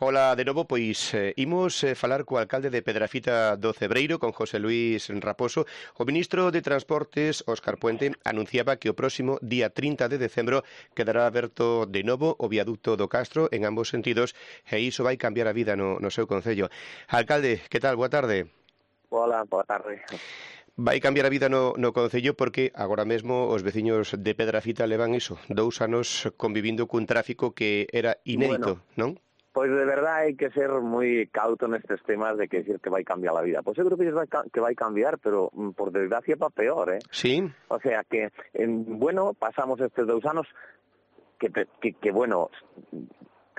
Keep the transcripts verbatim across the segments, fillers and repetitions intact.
Ola de novo, pois eh, imos eh, falar co alcalde de Pedrafita do Cebreiro, con José Luís Raposo. O ministro de Transportes, Óscar Puente, anunciaba que o próximo día trinta de decembro quedará aberto de novo o viaducto do Castro en ambos sentidos e iso vai cambiar a vida no, no seu concello. Alcalde, que tal? Boa tarde. Hola, boa tarde. Vai cambiar a vida no, no concello porque agora mesmo os veciños de Pedrafita levan iso, dous anos convivindo cun tráfico que era inédito, Bueno, non? pois de verdade hai que ser moi cauto nestes temas de que decir que vai cambiar a vida. Pois eu creo que vai, que vai cambiar, pero mm, por desgracia para peor, eh? Sí. O sea que, en, bueno, pasamos estes dous anos que, que, que bueno,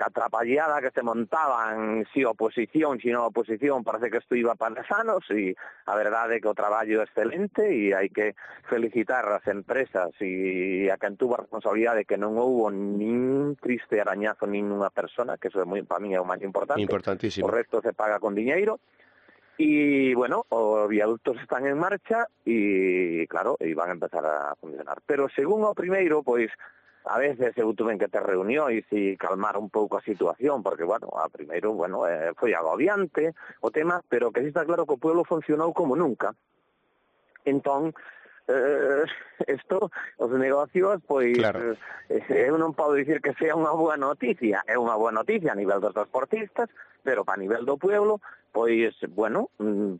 que atrapallada que se montaban si oposición, si non oposición, parece que isto iba para sanos e a verdade é que o traballo é excelente e hai que felicitar as empresas e a quen tuvo a responsabilidade que non houbo nin triste arañazo nin unha persona, que eso é moi, para mí é o máis importante. Importantísimo. O resto se paga con diñeiro. E, bueno, os viaductos están en marcha e, claro, e van a empezar a funcionar. Pero, según o primeiro, pois, a veces eu tuve que ter reunións e calmar un pouco a situación, porque, bueno, a primeiro, bueno, eh, foi agobiante o tema, pero que sí está claro que o pueblo funcionou como nunca. Entón, eh, isto, os negocios, pois, Claro. eh, eu non podo dicir que sea unha boa noticia, é unha boa noticia a nivel dos transportistas, pero para nivel do pueblo, pois, bueno,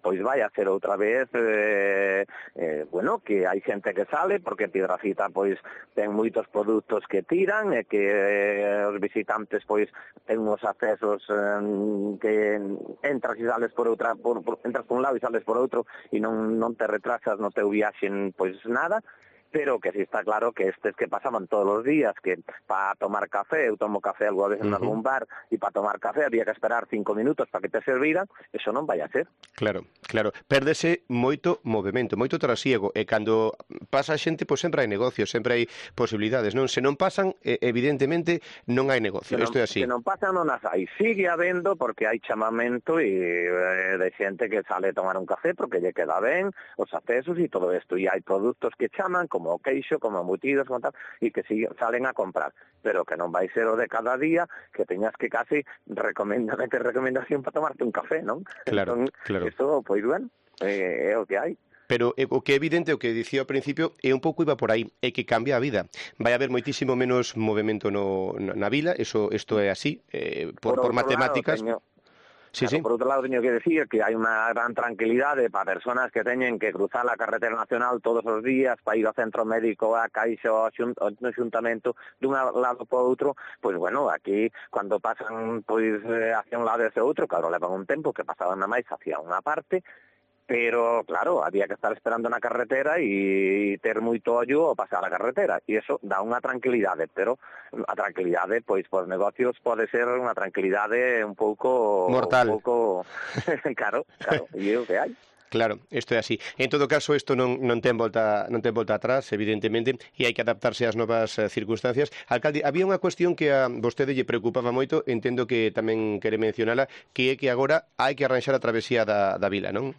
pois vai a ser outra vez, eh, eh, bueno, que hai xente que sale, porque Pedrafita, pois, ten moitos produtos que tiran, e que eh, os visitantes, pois, ten uns accesos eh, que entras e sales por outra, por, por, entras por un lado e sales por outro, e non, non te retrasas no teu viaxe, pois, nada, pero que sí está claro que estes que pasaban todos os días, que para tomar café, eu tomo café algo a veces uh -huh. en algún bar, e para tomar café había que esperar cinco minutos para que te serviran, eso non vai a ser. Claro, claro, pérdese moito movimento, moito trasiego, e cando pasa a xente, pois sempre hai negocios, sempre hai posibilidades, non? Se non pasan, evidentemente, non hai negocio, isto é así. Se non pasan, non as hai, sigue habendo, porque hai chamamento e, eh, de xente que sale a tomar un café porque lle queda ben, os accesos e todo isto, e hai produtos que chaman, como como queixo, como embutidos, como tal, e que si salen a comprar, pero que non vai ser o de cada día, que teñas que casi recomendar recomendación para tomarte un café, non? Claro, entón, claro. Isto, pois, bueno, é, é o que hai. Pero eh, o que é evidente, o que dicía ao principio, é un pouco iba por aí, é que cambia a vida. Vai haber moitísimo menos movimento no, na vila, eso isto é así, eh, por, por, por matemáticas. Lado, teño... Sí, claro, sí. Por outro lado, teño que decir que hai unha gran tranquilidade para persoas que teñen que cruzar a carretera nacional todos os días para ir ao centro médico, a caixa, ao xuntamento, dun lado para outro. Pois, bueno, aquí, cando pasan pois hacia un lado e hacia outro, claro, levan un tempo que pasaban na máis hacia unha parte, pero, claro, había que estar esperando na carretera e ter moito ollo ao pasar a carretera, e iso dá unha tranquilidade, pero a tranquilidade, pois, por negocios pode ser unha tranquilidade un pouco... mortal. Un pouco... claro, claro, e é o que hai. Claro, isto é así. En todo caso, isto non, non ten volta non ten volta atrás, evidentemente, e hai que adaptarse ás novas eh, circunstancias. Alcalde, había unha cuestión que a vostede lle preocupaba moito, entendo que tamén quere mencionala, que é que agora hai que arranxar a travesía da, da vila, non?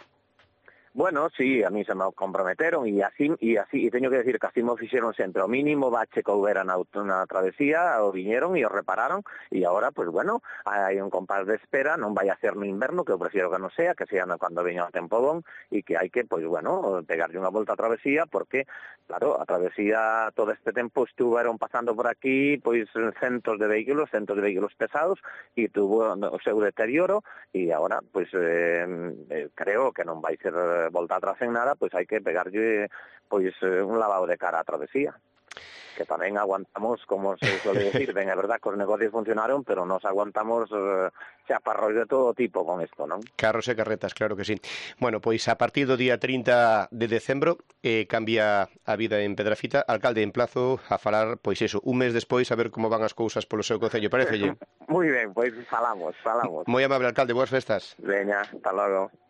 Bueno, sí, a mí se me comprometeron e así e así e teño que decir que así me fixeron sempre o mínimo bache que houbera na, na travesía, o viñeron e o repararon e agora, pues bueno, hai un compás de espera, non vai a ser no inverno, que eu prefiero que non sea, que sea cando veña o tempo bon e que hai que, pues bueno, pegarlle unha volta a travesía porque, claro, a travesía todo este tempo estuveron pasando por aquí, pois centos de vehículos, centos de vehículos pesados e tuvo o seu deterioro e agora, pues eh, creo que non vai ser volta atrás en nada, pois hai que pegarlle pois un lavado de cara á travesía. Que tamén aguantamos, como se suele decir, ben, é verdad que os negocios funcionaron, pero nos aguantamos eh, chaparros de todo tipo con isto, non? Carros e carretas, claro que sí. Bueno, pois a partir do día trinta de decembro eh, cambia a vida en Pedrafita. Alcalde, emplazo a falar, pois eso, un mes despois a ver como van as cousas polo seu concello, parecelle? Moi ben, pois falamos, falamos. Moi amable, alcalde, boas festas. Veña, hasta logo.